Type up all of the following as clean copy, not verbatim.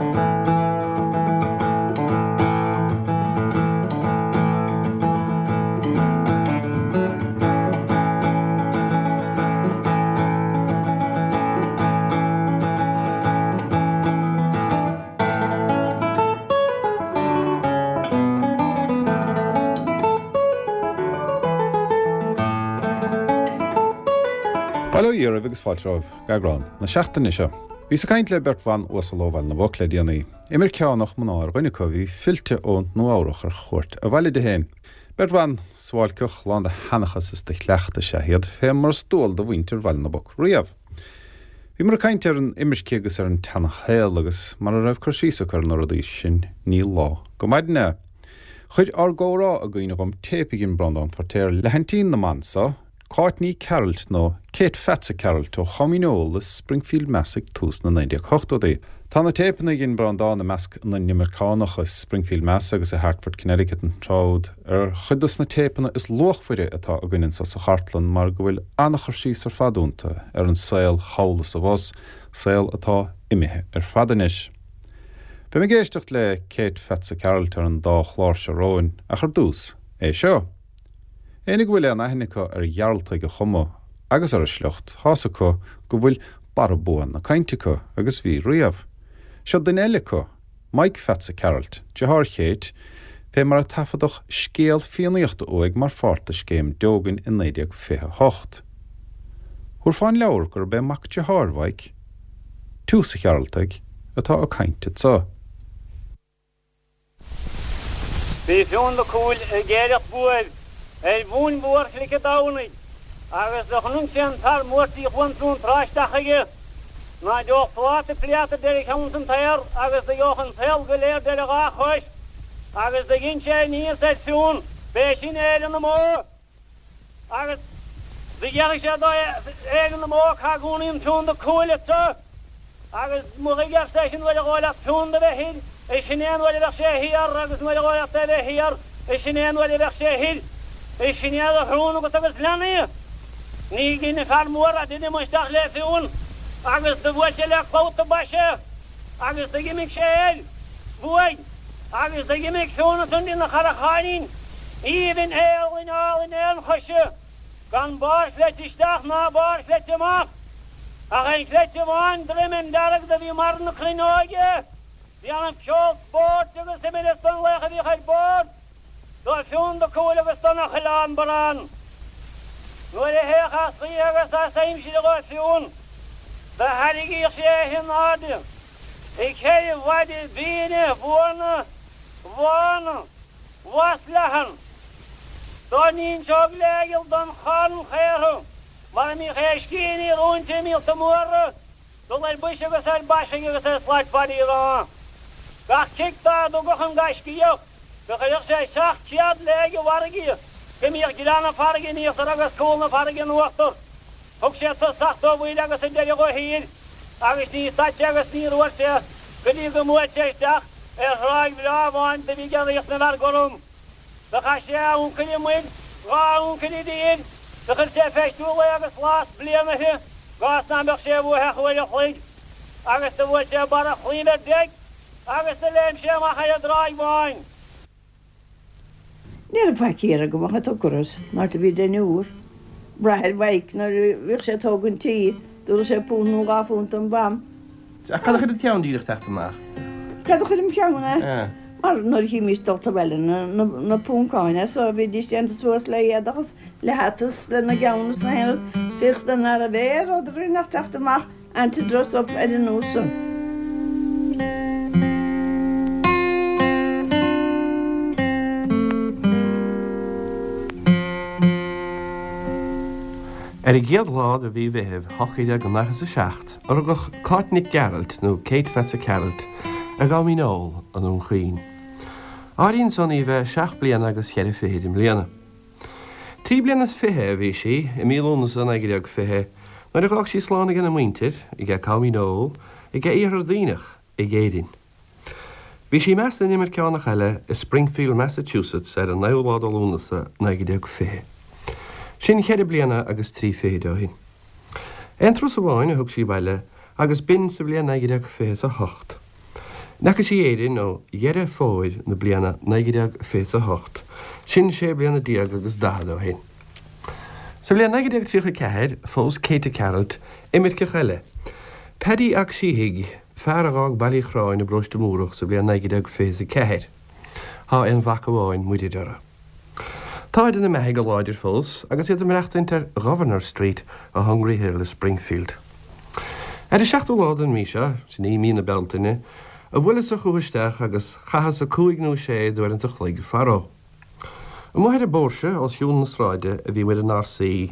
Bail ó Dhia oraibh agus fáilte romhaibh go eagrán na seachtaine seo. Bhíos ag caint le beirt bhan uasal ó Bhaile na bPoc le déanaí. Imirceánach mná ar dhuine acu a bhí fillte ó Nua Eabhrach ar chuairt abhaile di féin. Beirt bhan suáilceach lán de sheanchas is de chleachtadh is ea iad, fé mar is dual do mhuintir Bhaile na bPoc riamh. Bhíomar ag caint ar an imirce agus ar an tseana-shaol agus mara raibh cur síos acu ar na rudaí sin ní lá go maidin é. Chuir ár gcomhrá i gcuimhne dhom téip a dhein Breandán Feirtéar le haintín na mban so, Cáit Ní Chearailt nó Kate Pheatsa Cearailt ó Chom Dhíneol i Springfield Mass ag tús na 1980idí. Tá na téipeanna a dhein Breandán i measc na n-imirceánach i Springfield Mass agus i Hartford Connecticut an tráth úd, ar chuid dos na téipeanna is luachmhaire atá againn anso sa chartlann mar go bhfuil an-chur síos ar fad iontu ar an saol thall is abhus, saol atá imithe ar fad anois. Beimid ag éisteacht le Kate Pheatsa Cearailt ar an dá chlár seo romhainn, ach ar dtús, é seo. Éinne go bhfuil aon aithne acu ar Ghearaltaigh a chuma agus ar a sliocht, tá's acu go bhfuil barra bua na cainte acu, agus bhí riamh. Seo duine eile acu. Mike Pheatsa Cearailt, deartháir Chéit, fé mar a taifeadadh scéal Fiannaíochta uaidh mar pháirt de Scéim Deogan i 1928. Thabharfá an leabhar gurb é mac deartháir Mhaidhc, Tiús a' Chearaltaigh, atá ag caint anso. Bhí Fionn Mac Cumhaill ag éireacht buaibh ar bhun mhórchnoic an Domhnaigh agus do chonaic sé an fear mór tí Chuan Fionntrá isteach chuige. Ná gheobhadh pláta pléata d'ar a cheann san t-aer agus do gheobhadh an saol go léir d'ar a dhá chois agus do dhein sé aníos ar Fionn b'é sin Éire na mbó. Agus do dhéanfaidh sé do Éire na mbó cá gcónaíonn Fionn Mac Cumhaill anso. Agus mothaigh, ar seisean, nuair a dhóigh leat Fionn do bheith thoir, is sin é an uair a bheadh sé thiar, agus nuair a dhóigh leat é bheith thiar, is sin é an uair a bheadh sé thoir. Is sin é do shrón agat agus lean é. Ní dhein an fear mór ach d'imigh isteach le Fionn, agus do bhuail sé le clabhta bais é. Agus d'imigh sé air, uaidh, agus d'imigh Fionn ansan ina charracháinín aoibhinn éalainn álainn aon choise, gan barr chleite isteach ná barr chleite amach, ach aon chleite amháin droim dearg do bhí mar na cruinneoige, déanamh ceol spóirt agus imreas don laoch a bhíodh ar bord. Do Fionn Mac Cumhaill agus don Choileán Bran. Nuair a théadh as oíche agus as aimsir dhó Fionn, do thairrigíodh sé é in airde i gceithre mhaide mhíne mhórna bhána bhasleathan. Dá n-inseodh léigeal don charn chaortha mar a mbíodh éiscíní roinnte i míolta móra, Dul ar bois agus ar baisigh agus ar shlait fadaí rá. Gach cic dá dtugadh an gaiscíoch, do chuireadh sé 700 léig i bhfarraige, go mbíodh grean na farraige in íochtar agus cúl na farraige in uachtar. Thug sé tosach dó bhuaile agus a deireadh dhó thiar, agus ní stad sé agus níor fhuar sé go dtí go mbuail sé isteach ar thráigh bhreá amháin do bhí ag Ríocht na bhFear Gorm. Do chaith sé a uncail i muir, dhá uncail i dtír, do chuir sé feistiú lae agus lá 's bliana uirthi, gcás ná mbeadh sé uaithi ach uair a chloig, agus do bhuail sé barra chlaímh ar deic agus do léim sé amach ar an dtráigh bháin. Ní raibh faic air go mbeadh a tucras mar do bhí deichniúr. Bráthair Mhaidhc nuair a bhíodh sé ag tógaint tí, dtabharfadh sé punt nó dhá phunt don mham. Ach cad a chuir id cheann díreach teacht amach? Cad a chuir im cheann é? Mar nuair a chímís dulta abhaile na púncáin as so, bhídís déanta suas le éadach is le hata is lena gceann is na haon rud, féach do nárbh é rud a rinne ach teacht amach and to dress up ar an nós san. Ar an gcéad lá de mhí Mheithimh, 1847, a rugadh Cáit Nic Gearailt, nó Kate Pheatsa Cearailt, i gCom Dhíneol, i nDún Chaoin. Áiríonn san í bheith seacht bliana agus cheithre fichid i mbliana. Trí bliana is fiche a bhí sí, i mí Lúnasa 1920, nuair a dh'fhág sí slán aige na muintir, aige Com Dhíneol, aige Iarthar Duibhneach, ag Éirinn. Bhí sí i measc na n-imirceánach eile i Springfield, Massachusetts ar an naoú lá de Lúnasa, 1920. Sin cheithre bliana agus trí fichid ó shin. Aon turas amháin a thug sí abhaile agus b'in sa bhliain 1928. N'fheaca sí Éirinn ó Dheireadh Fómhair na bliana 1928, sin sé bliana déag agus daichead ó shin. Sa bhliain 1934, phós Katie Gearailt imirceach eile, Paddy 'ac Síthigh, fear a dh'fhág Baile Uí Chorráin i bparóiste Múrach sa bhliain 1924. Thá aon mhac amháin Muirir orthu. Táid ina mbeathaidh go láidir fós agus iad ag maireachtaint ar Gouverneur Street i Hungry Hill i Springfield. Ar an seachtú lá den mhí seo, sin í mí na Bealtaine, a bhuaileas-sa chúthu isteach agus chaitheas-sa cúig nó sé d'uaireanta a chloig faró. Amuigh ar an bpóirse os cionn na sráide a bhí muid inár suí,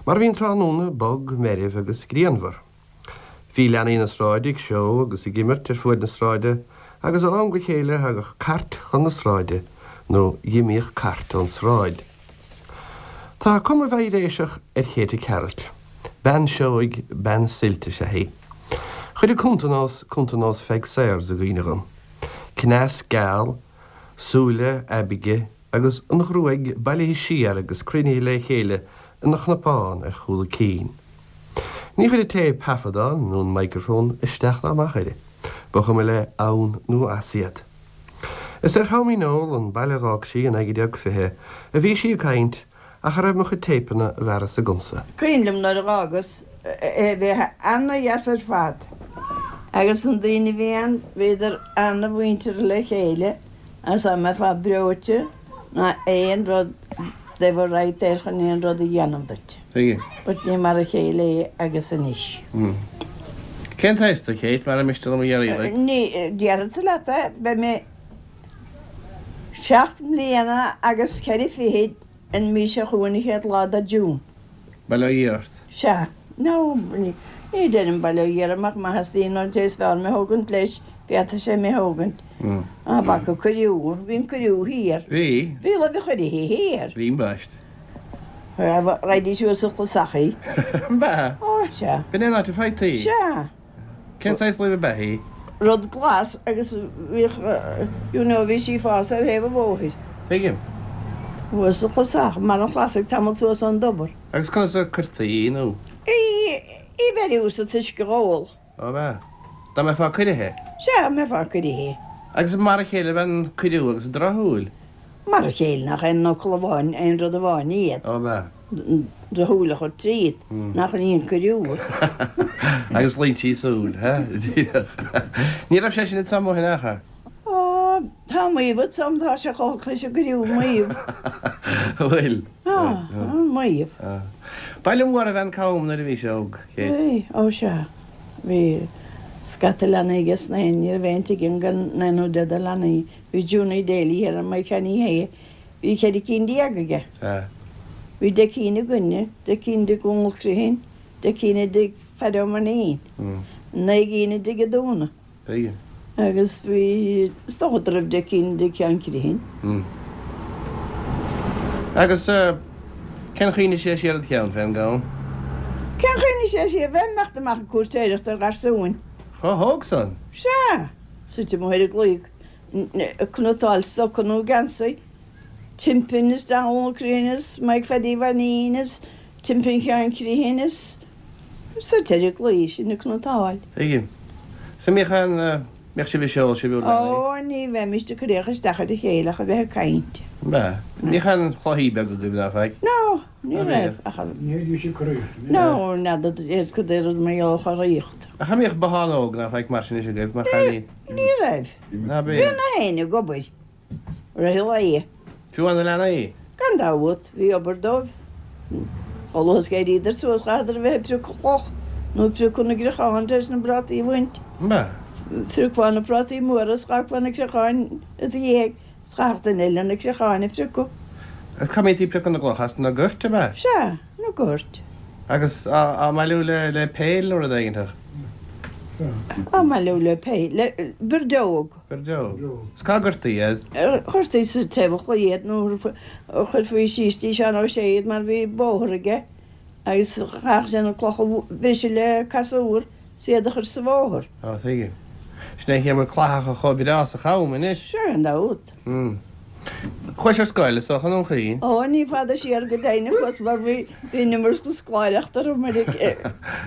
mar bhí an tráthnóna bog, meirbh agus grianmhar. Bhí leanaí na sráide ag seó agus ag imirt ar fuaid na sráide agus ó am go chéile thagadh cairt chun na sráide nó dh'imíodh cairt ón sráid. Tá cuma mheidhréiseach ar Chéite Cearailt. Bean seoigh, bean suilt is ea í. Chuir a cuntanós cuntanós Pheig Sayers i gcuimhne dhom. Cneas geal, súile aibighe, agus an ghruaig bailithe siar agus cruinnithe le chéile ina chnapán ar chúl a cinn. Ní chuir an té taifeadán nó an microphone isteach ná amach uirthi, ba chuma léi ann nó as iad. Is ar Cham Uí Neoil, an baile a dh'fhág sí i 1920, a bhí sí ag caint ach a raibh mo chuid téipeanna i bhfearas agamsa. Cuimhin liom nuair a dh'fhágas é bhí ana-dheas ar fad agus na daoine a bhí ann bhíodar ana-mhuinteartha le chéile agus dá mbeifeá breoite ná aon rud they were right there chun aon rud a dhéanamh duit. Tuigim. But ní mar a chéile é agus anois. Cén t-aois tú, Kate, mara miste liom a iarraidh duit? Ní, déarfadsa leat é, beidh mé seacht mbliana agus ceithre fichid an mhí seo chugainn an chéad lá de June. Bail ó Dhia ort. Sea. No, ní deirim bail ó Dhia orm ach maith is daoine an té is fearr mé thógaint leis, féadfaidh sé mé thógaint. An bhfaca cuiriú, bhí an cuiriú thiar. Bhí. Bhí luibh a chuirithe thiar. Bhí ambaist. Raghaidís suas sa chlasaich í. An b'ea? Ó, sea. B'in é an áit a bhfaightaí í? Sea. Cén saghas luibh ab ea í? Rud glas agus bhíodh, you know, bhí sí ag fás ar thaobh an bhóthair. Tuigim. Thuas sa chlasach, i mbarr an chlasaigh tamall suas ón dtobar. Agus conas a cuirtí í, nó? Í, í bheiriú sa t-uisce dh'ól. Ó, ab ea? Dá mbeifeá cuirithe? Sea, dá mbeifeá cuirithe. Agus mar a chéile ab ea an cuiriú agus an drochshúil? Mar a chéile, nach aon fhocal amháin, aon rud amháin iad. Ó, ab ea? Drochshúil a chur tríot, nach í an cuiriú. Agus loinsí súl, ha? Ní raibh sé sin ins am ó shin ach a. Ó, tá maíomh ins am, tá sé chomh leis an gcuiriú, maíomh. Bhfuil? Tá, maíomh. Baile mór ab ea an Cam nuair a bhís óg, Kate. Bhí, ó sea. Bhí scata leanaí aige sna haon, ní raibh aon tigh ann gan naoi nó deich de leanaí. Bhí Junie Daly thiar i Maigh Cheannaí Shé Bhí 14 cinn aige. Bhí 10 cinn againne, 10 cinn i dtigh Dhónaill Criomhthain, 10 cinn i dtigh Phaddy Ó Mainnín, 9 gcinn i dtigh Adúna. Agus bhí, is dócha go raibh 10 cinn i dtigh Sheáin Criomhthain. Agus cén chaoi a ndeachaigh sé siar id cheann fén gCam? Cén chaoi a ndeachaigh sé siar? Bheinn ag imeacht amach ag cúirtéireacht ar gharsúin. Chomh hóg san? Sea! Suite amuigh ar an gclaí. ag cniotáil stoca nó geansaí, timpeall is Dónal Criomhthain is Maidhc Phaidí Mhainín is timpeall Sheáin Criomhthain is suite ar an gclaí sin ag cniotáil. Tuigim. Is an mbíodh aon, mbíodh sibh ag seol, sibh úr leanaí? Ó, ní bheimist ag cur isteach isteach ar a chéile ach a bheith ag caint. An b'ea? Bhíodh aon chluichí beaga agaibh ná faic? No, ní raibh ach a. Ní bhíodh ag coraíocht. No, n'fheadar cad é rud mar gheall ar choraíocht. Ach an mbíodh bothán óg ná faic mar sin anois agaibh mar chailín? Ní raibh. Ná bí. Bhí na héinne ag obair rith an lae. Fiú amháin na leanaí? Gan dabht, bhí obair dóibh. Chomh luath is d'éiríodar suas chaitheadar a bheith ag priocadh cloch nó ag priocadh na gcreachán tar éis na bprátaí a bhaint. Ba. Phriocfá na prátaí móra is dh'fhágfá na creacháin i do dhiaidh is chaithfeadh duine eile na creacháin a phriocadh. Agus cá mbítí ag priocadh na gcloch as na goirt, ab ea? Sea, na goirt. Agus á mbailiú le peil nó rud éiginteach? Á mbailiú le peil, le birdeog. Birdeog. Is cá gcuirtí iad? Chuirtí sa taobh an chlaí iad nó chuirfí síos dtí Seán Ó Sé iad mar bhí bóthar aige agus chaithfeadh sé na clocha a bhriseadh le casúr is iad a chur sa bhóthar. Á, tuigim. Sin é an chaoi a bhfuil clathacha chomh breá sa Cham anois. Sea, gan dabht. Chuais ar scoil, is dócha, i nDún Chaoin? Ó, ní fada siar go deimhin a chuas mar bhí an iomarca scoláireachta orm ar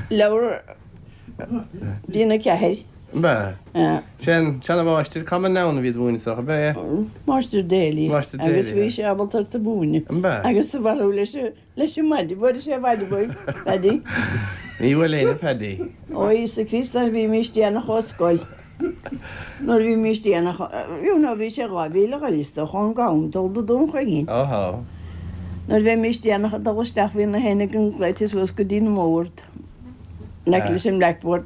leabhar bliain a ceathair. Ab ea? Sé an seanamháistir Common Noun a bhí ag múineadh is dócha, ab ea? Máistir Daly. Máistir Daly. Agus bhí sé ábalta ort a mhúineadh. Ab ea? Agus do mharú leis an leis an maide, bhuaileadh sé maide uaidh, Paddy. Ní bhuail éinne Paddy. Ó Íosa Críost nuair a bhímís déanach ó scoil. Nuair a bhímís déanach, you know bhí sé 2 mhíle a ghoil is dócha ón gCam dul do Dún Chaoin. Óhó. Nuair a bheimís déanach ag dul isteach bhí na héinne againn glaoite suas go dtí an mbord. In aice leis an blackboard.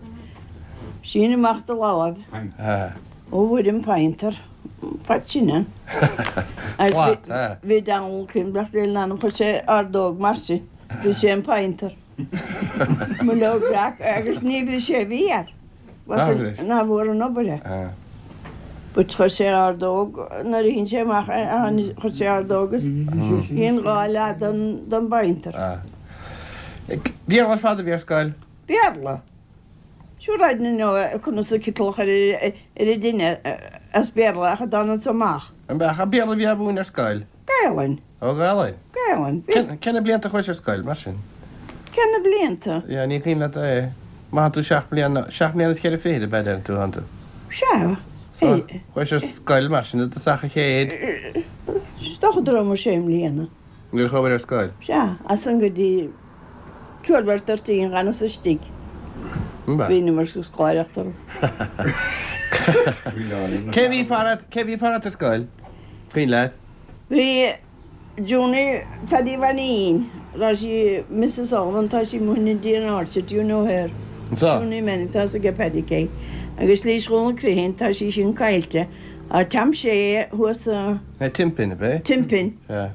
Sín amach do lámh. Ó a Mhuire an pointer. Fad sin ann. Slat, eh. Bhí Donald Coimbreach le lena chuir sé ordóg mar sin. Bhí sé an pointer. Mo leabhar breac agus ní bhris sé a mhéar. Nár bhris? Ná bhfuair an obair é. But chuir sé ordóg nuair a shín sé amach é chuir sé ordóg is shín dhá leath don bpointer. Béarla ar fad a bhí ar scoil? Béarla. Sure I don't know conas an citeal a chur ar an dtine as Béarla ach a d'fhan anso amach. An Béarla a bhí á mhúineadh ar scoil? Gaelainn. Ó Ghaelainn? Gaelainn. Cé na blianta a chuais ar scoil, mar sin? Cé na blianta? Yeah, ní cuimhin leat é. Má thá tú seacht mbliana, seacht mbliana is cheithre fichid ab ea deireann tú, thánn tú? Sea. So, chuais ar scoil, mar sin, i dtosach an chéid. Is dócha go raibh mé sé mbliana. Nuair a chuabhair ar scoil? Sea, as san go dtí 12 or 13 dh'fhanas istigh. Bhí an iomarca scoláireacht orm. Cé bhí fara, cé bhí fara ar scoil? Cuimhin leat? Bhí Junie Phaddy Mhainín, tá sí Mrs Sullivan, tá sí amuigh in Indian Orchard, do you know her? Anso. Junie Manning, tá 's aige Paddy cé. Agus Lís Dhónaill Criomhthain, tá sí sin caillte. Tá Tom Shea thuas sa. É Timpin, ab é? Timpin. Sea.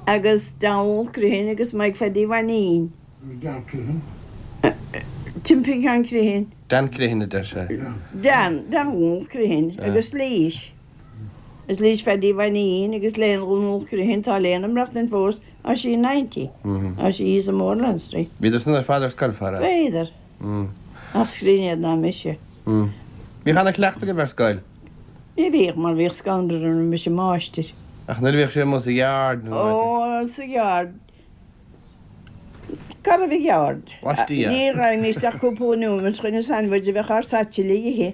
Agus Donald Criomhthain agus Mike Phaddy Mhainín. Dan Criomhthain. Timpin Ceann Criomhthain. Dan Criomhthain a deir sé. Dan, Donald Criomhthain agus Lís. Is Lís Phaddy Mhainín agus Léan Dhónaill Criomhthain, tá Léan ag maireachtaint fós, tá sí 90, tá sí thíos i Moreland Street. Bhíodar san ar fad ar scoil fara. Bhíodar. Ach is grinne iad ná mise. Bhíodh ana cleachtadh agaibh ar scoil? Ní bhíodh mar bhíodh scanradh orm roimis an máistir. Ach nuair a bhíodh sé amuigh sa yard nó áit. Ó, sa yard. Cá raibh an yard? Laistiar. Ní raghaimíst ach cúpla nóiméad chun an sandwich a bheadh ár satchel a ithe.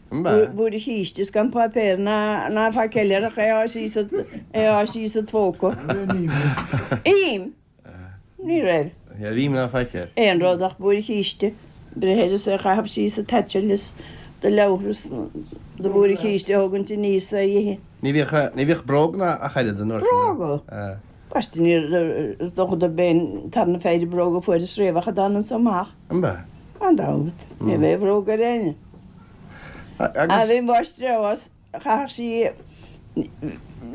Blúire chíste is gan páipéar ná ná faic eile ach é á síos é á síos id phóca. Im! Ní raibh. Ní raibh im ná faic air. Aon rud ach blúire chíste. Breith air is é a chaitheamh síos sa tsatchel is do leabhar is do bhlúire chíste a thógaint aníos é a ithe. Ní bhíodh ní bhíodh bróg ná ach oiread an uair sin. Bróga? Baiste ní is dócha dob é an tarna péire bróga a fuaireas riamh ach a d'fhan anso amach. An b'ea? Gan dabht. Ní bheidh bhróg ar éinne. Agus. Bhí máistreás, chaithfeadh sí,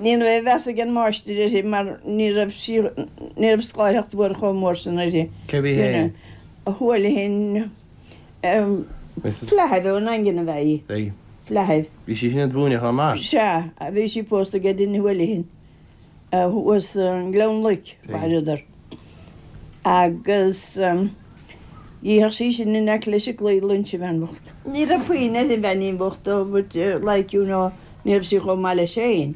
ní raibh meas ag an máistir uirthi mar ní raibh sí, ní raibh scoláireacht mhór chomh mór sin uirthi. Cé bhí fhéin? Houlihan, Flaithimh ón nDaingean ab ea í. Flaithimh. Bhí sí sin ag múineadh chomh maith. Sea, bhí sí pósta ag Dinny Houlihan. thuas i nGleann Loic, mhaireadar. Agus dh'itheadh sí sin in aice leis an gclaí lunch, an bhean bhocht. Ní raibh puinn ar an bheainín bhocht though but like you know ní raibh sí chomh maith leis féin,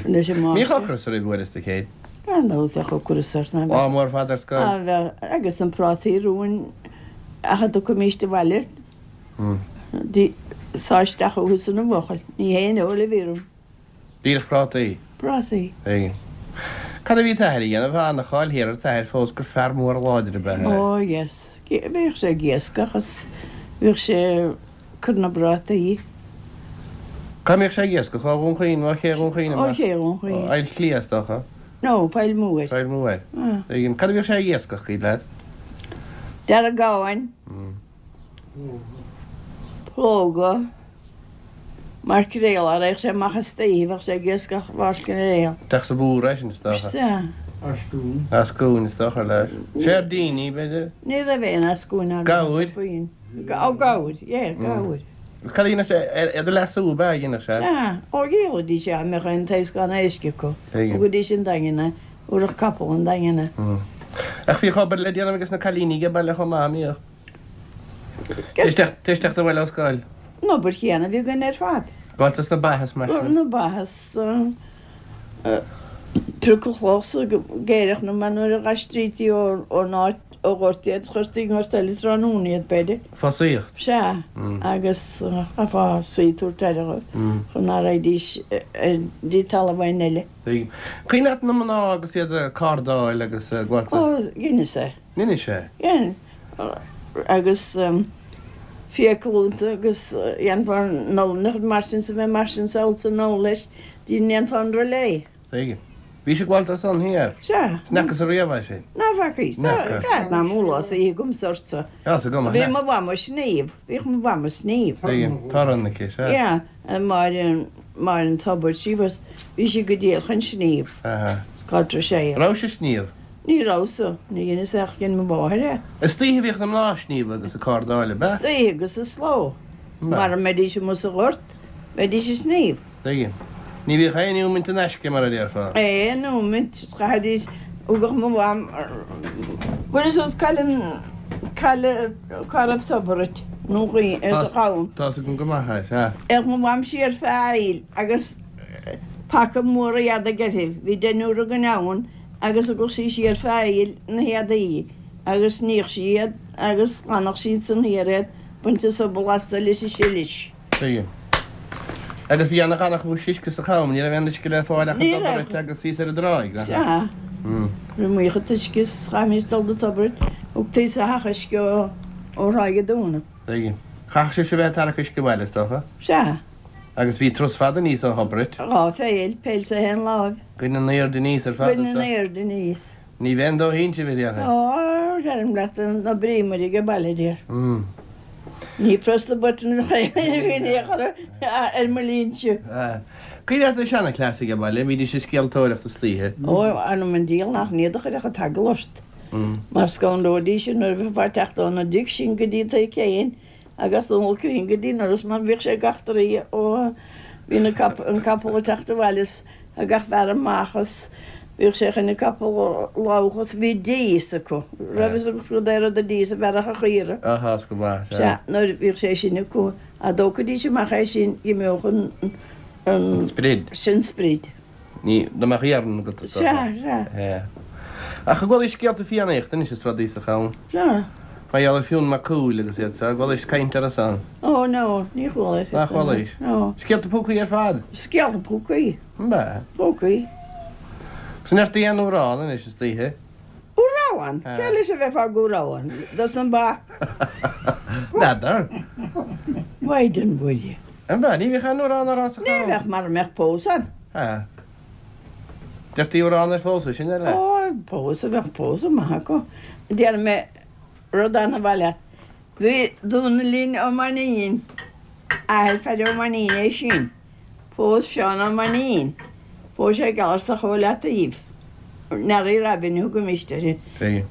leis an Bhíodh máistir. ocras oraibh uaireanta Kate. Gan dabht bheadh ocras ort ná Lá mór fada ar scoil. Á bheadh, agus na prátaí rúin ach a dtiocfaimíst abhaile, sá isteach uathu san an bhuachaill, ní haon fheoil a bhí orm. Díreach prátaí. Prátaí. Tuigim. Cad a bhí t'athair a dhéanamh? Tá ana-cháil thiar ar t'athair fós gur fear mór láidir ab ea é. Ó yes. Bhíodh sé ag iascach is bhíodh sé ag cur na bprátaí. Cá mbíodh sé ag iascach? Ó Dhún Chaoin, ó Ché Dhún Chaoin amach? Ó Ché Dhún Chaoin. Ó Ailt Cliath is dócha? No, Poill Mhóir. Poill Mhóir. Tuigim. Cad a bhíodh sé ag iascach, cuimhin leat? Deargáin. Plóga. Maicréal, a raghadh sé amach istoíche, bheadh sé ag iascach mhaicréal. Teach sa bhúr é sin, is dócha. Sea. Eascún. Eascún, is dócha, leis. Seirdíní, b'fhéidir? Ní raibh aon eascúin ann. Gabhair? Ó, gabhair, yeah, gabhair. Cad a dhéanadh sé? Iad a leasú, ab ea a dhéanadh sé? Sea. Ó, dhíolaidís é, dá mbeadh aon taoscán éisc acu. Thugaidís an Daingean é, thabharfadh capall an Daingean é. Ach bhíodh obair le déanamh ages na cailíní age baile chomh maith, an mbíodh? Tar éis teacht abhaile ó scoil. An obair chéanna a bhí againn ar fad. Gabháil dos na ba is mar sin. Na ba is priocadh cloch sa gcéireach nó mar nuair a dh'aistrítí ón áit. ó ghort iad, chuirtí i ngort eile tráthnóna iad, b'fhéidir. Fosaíocht. Sea, agus chaithfeá suí tabhairt aire dhóibh chun ná raghaidís dtí talamh éinne eile. Tuigim. Cuimhin leat na mná agus iad ag cardáil agus ag gabháil. Ó, dheineas é. Dheinis é? Dhein. Agus fiacail iontu agus dhéanfá an olann mar sin 's a bheith mar sin sábháilte anall leis, dhéanfá an relais. Tuigim. Bhís ag gabháil dó san thiar. Sea. Is n'fheacas-sa riamh é sin. Ná feacaís. N'fheaca. Cad ná múlá sa oíche agam ortsa. Tá 's agam, Bhí mo mham ag sníomh. Bhíodh mo mham ag sníomh. Tuigim. Torann aici, sea. Yeah. Máire, Máire an Tobair, she was, bhí sí go diail chun sníomh. Aha. Is cá dtreis sé. Rabhais ag sníomh? Ní rabhas-sa. Ní dheineas ach dhein mo mháthair é. Istoíche a bhíodh na mná ag sníomh agus ag cardáil, ab ea? Istoíche agus sa sló. Mara mbeidís amuigh sa ghort, bheidís ag sníomh. Tuigim. Ní bhíodh aon nóimint in aisce, mar a déarfá. Aon nóimint. Chaithfidís, thugadh mo mham, bhfuil fhios agat cá bhfuil an, cá bhfuil, cá raibh tobar i nDún Chaoin, sa Chabhán. Tá's agam go maith é, sea. Théadh mo mham siar feadh aill agus paca mór éadaigh uirthi, bhí deichniúr againn ann agus thugadh sí siar feadh aill na héadaí agus níodh sí iad agus ghlanadh sí ansan thiar iad, bainte sobal astu leis an silis. Tuigim. Agus bhí ana ghannchúis uisce sa Cham, ní raibh aon uisce le fáil ach i dTobar Ait agus thíos ar an dtráigh, nach ea? Sea. Raibh maoth an t-uisce is chaithfimís dul do Tobar Ait, thugtaí sa theach uisce ó Thráigh a' Dúna. Tuigim. Chaithfeadh sibhse a bheith ag tarrac uisce abhaile, is dócha? Sea. Agus bhí turas fada aníos ó Thobar Ait. Dhá pheil, peil sa haon láimh. Goin in airde aníos ar fad Goin in airde aníos. Ní bheinn do shínte, a déarfainn. Ó, deirim leat, na bríomar ag baile, dear. Ní press the button a bhí a chur ar mo línse. Cuimhin leat na seana-chleasaithe ag baile, bhídís ag scéaltóireacht istoíche. Ó, anam an diabhail nach n-iad a chuirfeadh an t-eagal ort. Mar scanróidís nuair a bheifeá ag teacht óna dtigh sin go dtí Tigh Céin agus Dónal Cruinn go dtí an doras mar bhíodh sé gach troigh ó bhí na an capall ag teacht abhaile is gach fear amach is bhíodh sé chun an capall a lamhach is bhí dís acu. Raibh fhios agat cad é rud a dís a bhearrfadh a chaora. Á tá 'fhios go maith, sea. Sea, nuair bhíodh sé sin acu, dá dtógfaidís amach é sin d'imeodh an, an. Sprid. Sin sprid. Ní, dá mbeadh iarann agat is dócha. Sea, sea. Sea. Ach an gcualaís scéalta Fiannaíochta anois is rudaí sa Cham? Sea. Mar gheall ar Fionn Mac Cumhaill agus iad seo, an gcualaís caint orthu san? Ó, no, ní chualaís iad san. Nach chualaís? No. Scéalta púcaí ar fad? Scéalta púcaí. An b'ea? Púcaí. Agus an ndeirtí aon amhrán anois istoíche? Amhrán? Cé leis a bheifeá ag amhrán? Dos na ba? N'fheadar. Mhaighdean Mhuire. An b'ea? Ní bhíodh aon amhrán á rá sa Ní Cham? bheadh mara mbeadh pósadh ann. Sea. Deirtí amhrán ar phósadh, sin eile. Ó, pósadh, bheadh pósadh maith acu. Déarfaidh mé rud an-mhaith leat. Bhí Dónaillín Ó Mainnín, athair Phaddy Ó Mainnín é sin. Phós Seán Ó Mainnín. Phós sé Gealtartach ó Leataoibh. Nearaí Robin a thugaimis uirthi.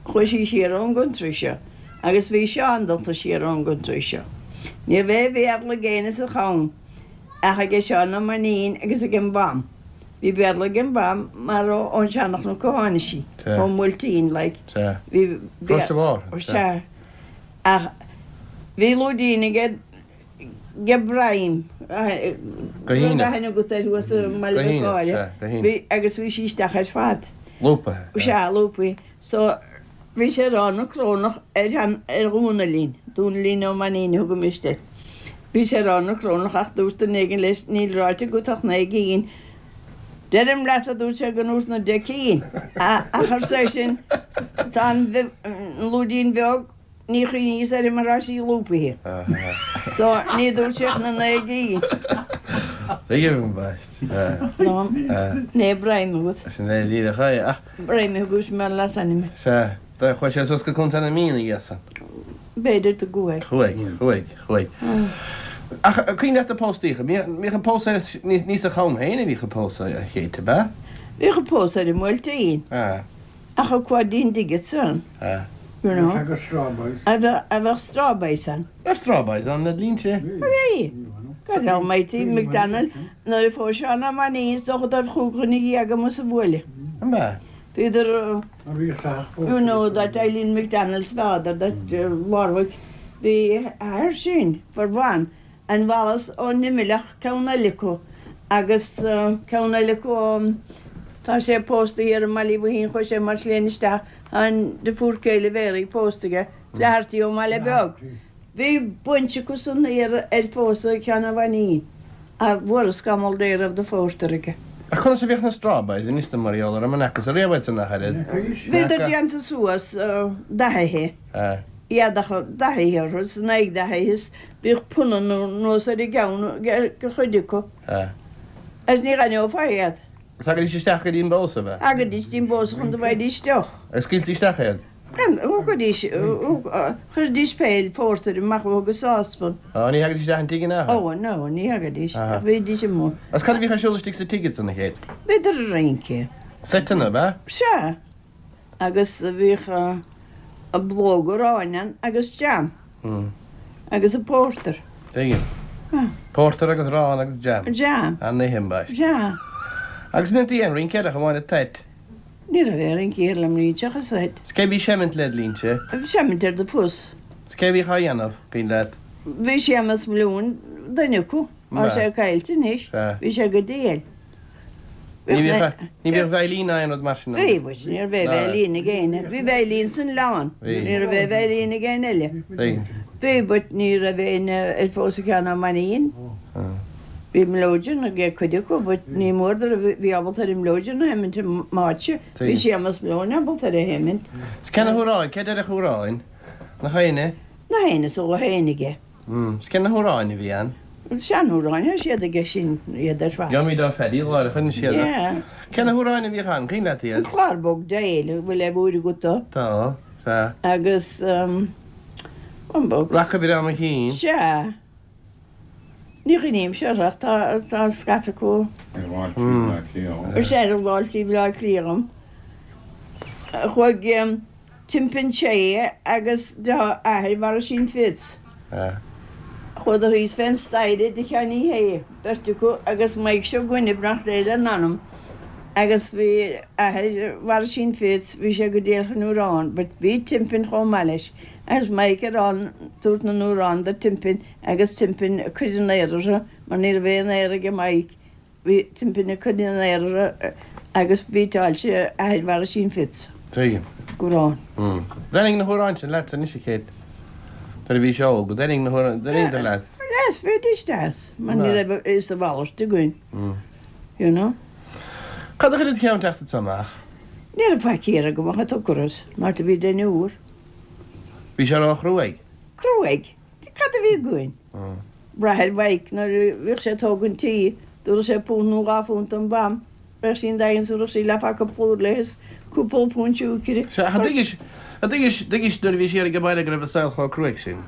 Chuaigh sí siar ón gcontry seo agus bhí Seán dulta siar ón gcontry seo. Ní raibh aon Bhéarla ag éinne sa Cham ach aige Seán Ó Mainnín agus ag an mham. Bhí Béarla ag an mham mar ón Seanchnoc a tháinig sí, ón mBuailtín like. Bhí Béarla. Sea. Ach bhí lúidín aige Ge Broim, Go hAoine. Raibh aithne agat air thuas i mBaile Go Mhic hAoine, Gáire. sea, go hAoine. Bhí, agus bhí sí isteach ar fad. Lúpaithe, sea. Sea, lúpaithe. So, bhí sé ag rá na Crónach ar shean, ar Dhónaillín, Dónaillín Ó Mainnín a thugaimist air. Bhí sé ag rá na Crónach ach dúirt duine éigin leis, níl ráite agat ach naoi gcinn. Deirim leat, a dúirt sé, go ndúirt na deich cinn. Ach arsa é sin, tá an, an lúidín bheag, Ní chuimhníos uirthi mar tá sí lúpaithe. So, ní dúirt sé ach na naoi gcinn. Tuigim ambaist. Né broim agat. Sin é díreach é, ach. Broim a thugas mar leasainm. Sea. Chuaigh sé suas go Contae na Mí ina dhiaidh san. B'fhéidir go gcuaigh. Chuaigh, chuaigh, chuaigh. Ach cuimhin leat na póstaíocha. Bhíodh an pósadh ar, ní sa Cham féin a bhíodh an pósadh, a Chéit, ab ea? Bhíodh an pósadh ar an mBuailtín. Ach a cá dtí'n dtuigead san, you know. Bheadh Strawberries. A bheadh Strawberries ann. Raibh Strawberries ann le linn-se. Bhí. God almighty, McDonald, nuair a phós Seán Ó Mainnín is dócha dár chúig dhuine dhéag amuigh sa bhuaile. An b'ea? Bhíodar, you know, that Eileen McDonald's father, that Warwick, bhí athair sin for one, An Wallace ón Nimhleach ceann eile acu agus ceann eile acu ó. Tá sé pósta thiar i mBaile Uí Bhoithín, chuaigh sé mar shléin isteach, tá an deirfiúr céile Mhéaraí pósta aige, Flaherty ón mBaile Beag. Bhí baint acu san thiar ar phósadh Sheáin Ó Mhainín, ach bhfuaras scamall Dé raibh de phórtar aige. Ach conas a bhíodh na strawberries anois mar gheall orm, an fhacthas ariamh iad san ach oiread? Bhíodar déanta suas dathaithe, éadach dathaithe orthu, is a n-aghaidh dathaithe is bhíodh punann anuas ar a gceann ag cuid acu. Agus ní dh'aithneofá iad. Agus thagaidís isteach go dtí an bpósadh, ab ea? Thagaidís dtí an bpósadh chun go bhfaighidís deoch. Agus scaoiltí isteach iad? Thugaidís, chuiridís béil phórtair amach uathu go sáspan. Ó, ní thagaidís isteach an tigh in aon chor? Ó, no, ní thagaidís, ach bhídís amuigh. Agus cad a bhíodh ar siúl istigh sa tigh ansan, a Chéit? Bhíodar ag rince. Seiteanna, ab ea? Sea. Agus bhíodh blóg aráin ann agus jam. Agus an pórtar. Tuigim. Pórtar agus arán agus jam. Jam. An-oíche, ambaist. Sea. Agus an ndéantaí aon rince air ach amháin an toit? Ní raibh aon rince thiar le mná seachas toit. 'S cé a bhí seimint led linnse? Seimint ar do phus. 'S cé a bhíodh á dhéanamh, cuimhin leat? Bhí Séamus Mliúin, duine acu. Tá sé caillte anois. Bhí sé go diail. Ní bhíodh, ní bhíodh veidhlín ná aon rud mar sin ann. Bhí, but ní raibh aon veidhlín ag éinne. Bhí veidhlín san oileán. Ní raibh aon veidhlín ag éinne eile. Bhí, but ní raibh éinne ar phósadh Sheáin Ó Mainnín. Bhí mileoidean ag cuid acu, but ní mór do raibh, bhí ábalta ar an mileoidean a sheimint i m'áitse. Bhí Séamus Malone ábalta ar a sheimint. 'S cé na hamhráin, cé deireadh amhráin? Nach éinne? Nach éinne is ó éinne aige. 'S cé na hamhráin a bhí ann? Seanamhráin, tá siad aige sin iad ar fad. Gheobhaimid ó Phaddy lá ar choinnigh siad. Yeah. Cé na hamhráin a bhíodh ann? Cuimhin leat iad? An Clár Bog Dale, an bhfuil aon uair agat dó? Tá, sea. Agus um, an box. Raca Breá Mo Chinn. Sea. Ní chuimhnímse orthu ach tá, tá scata acu. Ar bháiltí Bhleá Cliath. Sea, ar bháiltí Bhleá Cliath dhom. Chuaigh. Timpen Shea agus deartháir athair Mharisín Fitz. Chuadar thíos fén staighre i dtigh Sheáinín Shé, beirt acu agus Maidhc seo againne, beannacht Dé lena anam, agus bhí athair Mharisín Fitz, bhí sé go diail chun amhrán, but bhí Timpen chomh maith leis, agus Maidhc ag rá, tabhairt na n-amhrán do Timpen agus Timpen ag cur an aoir orthu mar ní raibh aon aoir aige Maidhc. Bhí Timpen ag cur an aoir orthu agus bhíteáil sé athair Mharisín Fitz. Tuigim. Amhrán. D'thaitnigh na hamhráin sin leatsa anois a Chéit nuair a bhís óg, d'thaitnigh na hamhráin, d'thaitníodar leat? Yes, bhídís deas, mar ní raibh a fhios a mhalairt againn, you know. Cad a chuir id cheann teacht anso amach? Ní raibh faic thiar agam ach an t-ocras, mar do bhí deichniúr. Bhí sé ró-chruaidh? Cruaidh? Cad a bhí againn? Brath ar Mhaidhc nuair a bhíodh sé ag tógaint tí, dtabharfadh sé punt nó 2 phunt don mham, bheadh sí in daingean is thabharfadh sí leathphaca plúir léi is cúpla punt siúicre. Sea, ach an dtuigis, an dtuigis, dtuigis nuair a bhís thiar ag an baile go raibh an saol chomh cruaidh sin?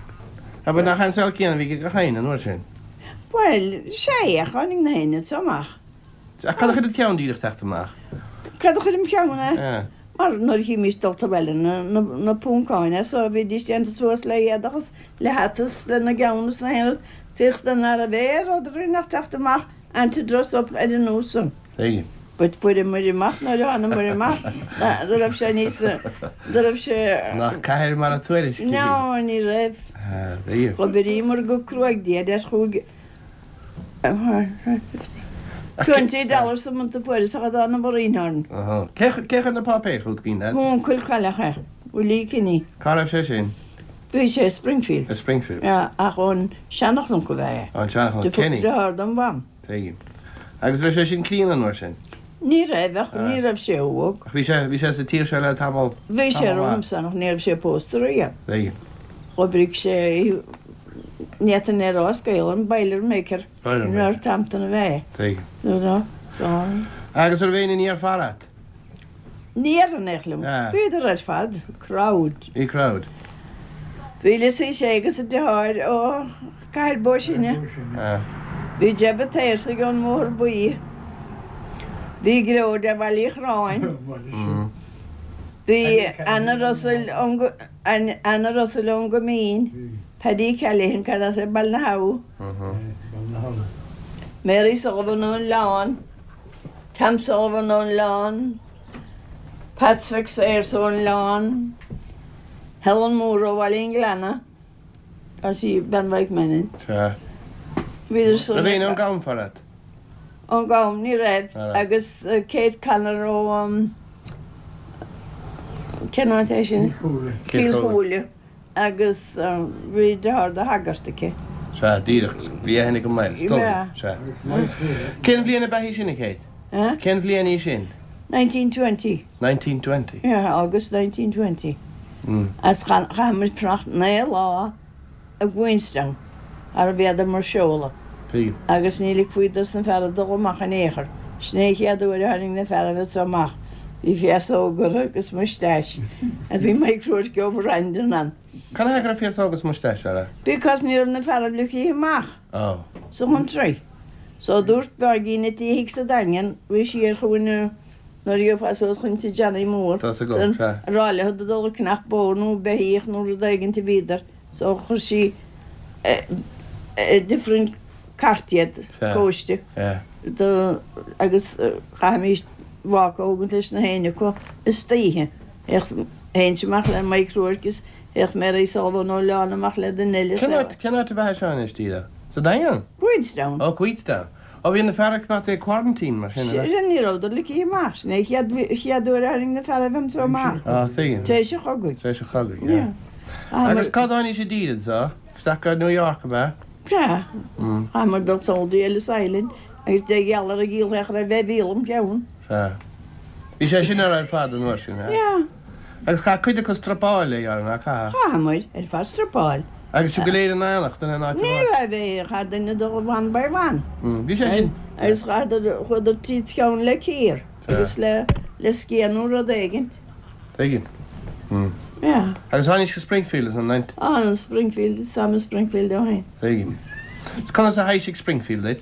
Abair, nach é an saol céanna a bhí ag gach éinne an uair sin? Bhuel, sea, ach tháinig na héinne so amach. Ach cad a chuir id cheann díreach teacht amach? Cad a chuir im cheann é? Mar nuair a chímís dul abhaile na Poncáin as so bhídís déanta suas le éadach is le hata is lena gceann is na haon rud, tíocht ná raibh aon rud againn ach teacht amach and to dress up ar an nós san. Tuigim. But fuaireamair amach nuair a thánamair amach go raibh sé níos, go raibh sé. Nach cathair mar a tuairisc í. No, ní raibh. Tuigim. Dh'oibríomair go cruaidh Dia leis chuaigh. $20 a month a fuaireas ach a d'fhan an orainn. Cé chuir na páipéir chugat, cuimhin leat? M'uncail cailleadh é, Willie Kinney. Cá raibh sé sin? Bhí sé i Springfield. I Springfield. Yeah, ach ón Seanchnoc ab ea é. Ón Seanchnoc, Kinney. Deartháir don mham. Tuigim. Agus raibh sé sin críonna an uair sin? Ní raibh, ach ní raibh sé óg. Ach bhí sé, bhí sé sa tír seo le tamall, Bhí sé tamall maith. romhamsa ach ní raibh sé pósta riamh. Tuigim. D'oibrigh sé i, ní fhéadfainn é a rá as Gaolainn, Boilermaker Boilermaker. in Northampton ab ea é. Tuigim. You know, so. Agus an raibh éinne níor fearr at? Ní déarfainn ach liom. Bhíodar ar fad crowd. Bhí crowd. Bhí Lizzie Shea agus a deartháir ó Cathair Bó Sine. Bhí Jeb a' tSaorsaigh ón mBóthar Buí. Bhí Gearóid de Bhaile Uí Chorráin. Bhí Anna Russell ón Anna Russell ón gCoimín. Paddy Callaghan, cad as é Baile na hAbha. Mary Sullivan ón Oileán. Tom Sullivan ón Oileán, Pat Mhic Sayers ón Oileán, Helen Moore ó Bhaile an Ghleanna, tá sí bean Mhaidhc Mannion. Sea. Bhíodar san Raibh éinne ón gCamphor a't? Ón gCam, ní raibh. Agus Kate Connor ó cén áit é sin? Cill Chúile. Agus bhí deartháir do shagart aici. Sea, díreach. Bhí aithne agam air, is dóigh. Sea. Cén bhliain ab ea í sin, a Kate? Cén bhliain í sin? 1920. 1920? Yeah, August 1920. Agus chaith muid fanacht 9 lá i gQueenstown, thar a bhféadar mar seoladh, agus ní ligfí dos na fearaibh dul amach in aon chor. Sin é an chéad uair a tháinig na fearaibh anso amach. Bhí féasóg orthu agus mustache, and bhí Mike Rourke ó Brandon ann. Cad a thaobh go raibh féasóg agus mustache orthu? Because ní raibh na fearaibh ligthe amach sa chountry. So dúirt Páidín a tí thig sa Daingean, bhí sí ar chúinne nuair a gheofá suas chun tí Johnny Mór, san, a rá leo do dul ag ceannach bó nó beithíoch nó rud éigint a bhíodar. So chuir sí different cart iad, cóiste, do agus chaithimís walk a thógaint leis na héinne acu istoíche. Théinnse amach le Mike Rourke is théadh Mary Sullivan ó Oileán amach le duine eile. Cén áit, cén áit ab ea seo anois, díreach? Sa Daingean? Queenstown. Ó, Queenstown. Ó, bhí na feara coimeádta i quarantine mar sin, ab ea? Sin, ní rabhadar ligthe amach. Sin é an chéad, chéad uair a tháinig na fearaibh anso amach. Á, tuigim. Tar éis an chogaidh. Tar éis an chogaidh, yeah. Agus cá dtáinís i dtír anso? Isteach go New York, ab ea? Sea. Chaitheamar dul sall dtí Ellis Island agus deich dhealar ag díol féach raibh bheith mhíle im cheann. Sea. Bhí sé sin ar ar fad an uair sin, ea? Yeah. Agus chaith cuid acu strapáil é, ar nár chaith? Chaitheamar ar fad strapáil. Agus sibh go léir in éineacht in aon áit Ní amháin? raibh aon, chaith duine dul one by one. Bhí sé sin. Agus chaitheadar, chuadar tríd cheann le cíor agus le, le sciath nó rud éigint. Tuigim. Yeah. Agus tháinís go Springfield is an nine. Á, Springfield, is táim i Springfield ó shin. Tuigim. Is conas a thaibhsigh Springfield duit?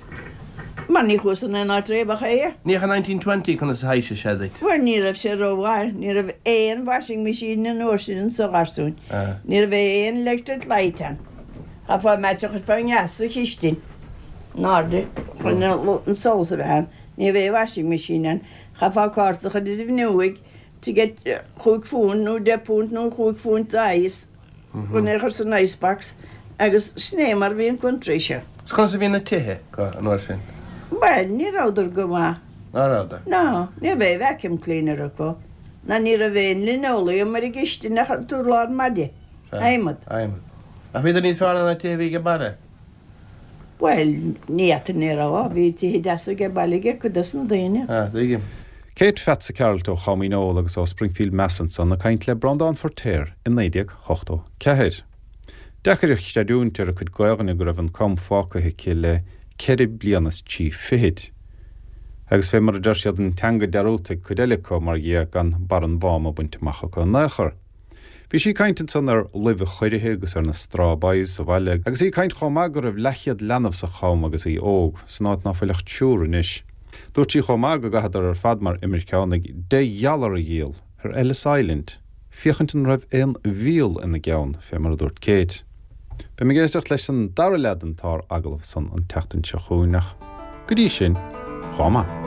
Mar ní chuas in aon áit riamh ach é. Ní ach i 1920 conas a thaibhsigh sé duit? Bhuel, ní raibh sé rómhaith. Ní raibh aon washing machine an uair sin anso, a gharsúin. Ní raibh aon electric light ann. Chaithfeá match a chur fá ndeas sa chistin in airde chun an solas a bheith ann. Ní raibh aon washing machine ann. Chaithfeá cárta a chur ar an bhfuinneoig to get chúig phunt nó deich bpunt nó chúig phunt ice chun é a chur san icebox agus sin é mar a bhí an country seo. Is conas a bhí na tithe acu an uair sin? Bhuel, ní rabhadar go maith. Ná rabhadar? No, ní raibh aon vacuum cleaner acu, ná ní raibh aon linoleum ar an gcistin ach an t-urlár maide, adhmad. Adhmad. Ach bhíodar níos fearr ná na tithe a bhí age baile? Bhuel, ní fhéadfainn é a rá, bhí tithe deasa age baile ag cuid dos na daoine. Ah, tuigim. Kate Pheatsa Cearailt ó Chom Dhíneol agus ó Springfield Mass ansan ag caint le Breandán Feiritéar i 1984. Deacair a chreidiúint ar a cuid Gaelainne go raibh an Com fágtha aici le ceithre bliana is trí fichid. Agus fé mar a deir siad an teanga dearúdta ag cuid eile acu mar dhea gan barr an Mháma bainte amach acu in aon chor. Bhí sí ag caint ansan ar luibh a choirithe agus ar na straw boys sa bhaile agus í ag caint chomh maith go raibh leathchéad leanbh sa Cham agus í óg, san áit ná fuil ach triúr anois. Dúirt sí chomh maith go gcaitheadar ar fad mar imirceánaigh deich dhealar a dhíol ar Ellis Island féachaint an raibh aon mhíol ina gceann, fé mar a dúirt Kate. Beidh mé ag éisteacht leis an dara leath den tsár-agallamh san an tseachtain seo chugainn ach go dtí sin, chomh maith.